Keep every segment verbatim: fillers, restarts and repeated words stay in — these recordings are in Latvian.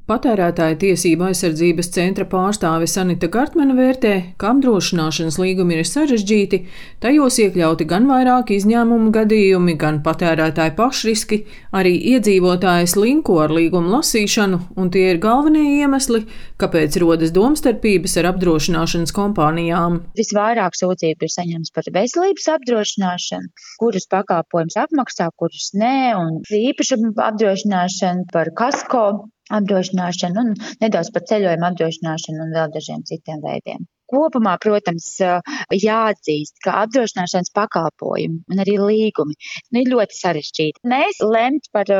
Patērētāju tiesību aizsardzības centra pārstāve Sanita Gartmana vērtē, ka apdrošināšanas līgumi ir sarežģīti, tajos iekļauti gan vairāki izņēmumu gadījumi, gan patērētāju pašriski, arī iedzīvotājs linko ar līgumu lasīšanu, un tie ir galvenie iemesli, kāpēc rodas domstarpības ar apdrošināšanas kompānijām. Visvairāk sūdzību ir saņemts par veselības apdrošināšanu, kurus pakalpojumus apmaksā, kurus nē, un īpašumu apdrošināšanu, par kasko apdrošināšanu un nedaudz par ceļojumu apdrošināšanu un vēl dažiem citiem veidiem. Kopumā, protams, jāatzīst, ka apdrošināšanas pakalpojumi un arī līgumi nu, ir ļoti sarežģīti. Mēs lemt par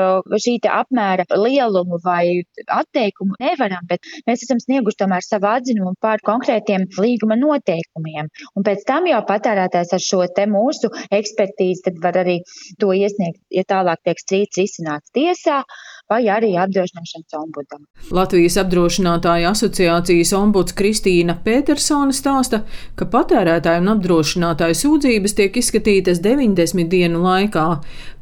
šī apmēra lielumu vai atteikumu nevaram, bet mēs esam snieguši tomēr savu atzinumu par konkrētiem līguma noteikumiem. Un pēc tam jau patērētājs ar šo te mūsu ekspertīzi tad var arī to iesniegt, ja tālāk tiek strīds risināts tiesā vai arī apdrošināšanas ombudam. Latvijas apdrošinātāju asociācijas ombuds Kristīna Pētersone stāsta, ka patērētāju un apdrošinātāju sūdzības tiek izskatītas deviņdesmit dienu laikā.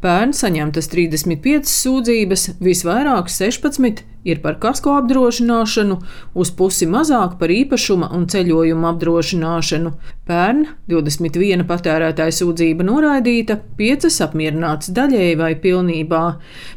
Pērn saņemtas trīsdesmit piecas sūdzības, visvairāk sešpadsmit ir par kasko apdrošināšanu, uz pusi mazāk par īpašuma un ceļojuma apdrošināšanu. Pērn divdesmit viena patērētāja sūdzība noraidīta, piecas apmierinātas daļēji vai pilnībā.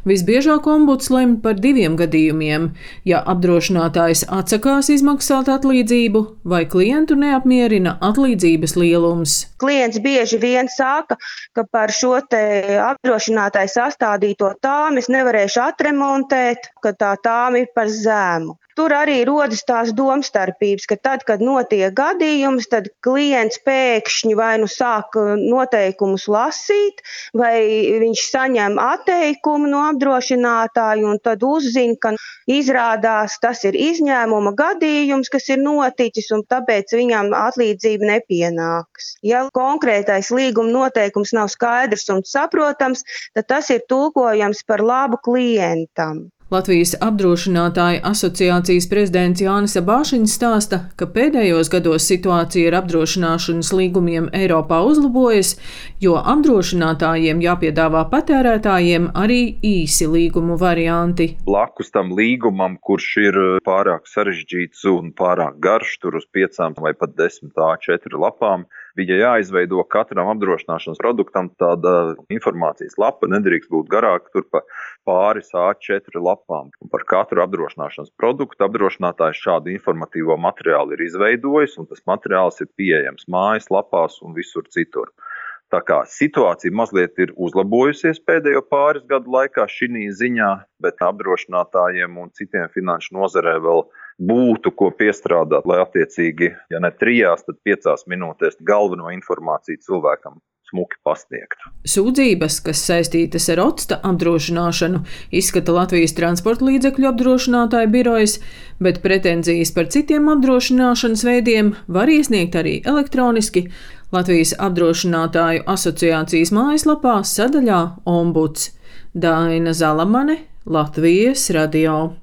Visbiežāk ombuds lemj par diviem gadījumiem, ja apdrošinātājs atsakās izmaksāt atlīdzību vai klientu neapmierina atlīdzības lielums. Klients bieži vien saka, ka par šo te apdrošinātāju sastādīto tāmi es nevarēšu atremontēt, ka tā tāmi ir par zēmu. Tur arī rodas tās domstarpības, ka tad, kad notiek gadījums, tad klients pēkšņi vai nu sāk noteikumus lasīt, vai viņš saņem atteikumu no apdrošinātāju un tad uzzina, ka izrādās tas ir izņēmuma gadījums, kas ir noticis un tāpēc viņam atlīdzība nepienāks. Ja konkrētais līguma noteikums nav skaidrs un saprotams, tad tas ir tulkojams par labu klientam. Latvijas apdrošinātāju asociācijas prezidents Jānis Abāšiņš stāsta, ka pēdējos gados situācija ar apdrošināšanas līgumiem Eiropā uzlabojas, jo apdrošinātājiem jāpiedāvā patērētājiem arī īsi līgumu varianti. Blakus tam līgumam, kurš ir pārāk sarežģīts un pārāk garš, tur uz piecām vai pat desmit A četri lapām, bija jāizveido katram apdrošināšanas produktam tāda informācijas lapa, nedrīkst būt garāka, tur pa pāris A četri lapām. Un par katru apdrošināšanas produktu apdrošinātājs šādu informatīvo materiālu ir izveidojis, un tas materiāls ir pieejams mājas lapās un visur citur. Tā kā situācija mazliet ir uzlabojusies pēdējo pāris gadu laikā šī ziņā, bet apdrošinātājiem un citiem finanšu nozarē vēl būtu ko piestrādāt, lai attiecīgi, ja ne trijās, tad piecās minūtēs galveno informāciju cilvēkam smuki pasniegtu. Sūdzības, kas saistītas ar otsta apdrošināšanu, izskata Latvijas transporta līdzekļu apdrošinātāju birojas, bet pretenzijas par citiem apdrošināšanas veidiem var iesniegt arī elektroniski Latvijas apdrošinātāju asociācijas mājaslapā sadaļā Ombuds. Daina Zalamane, Latvijas radio.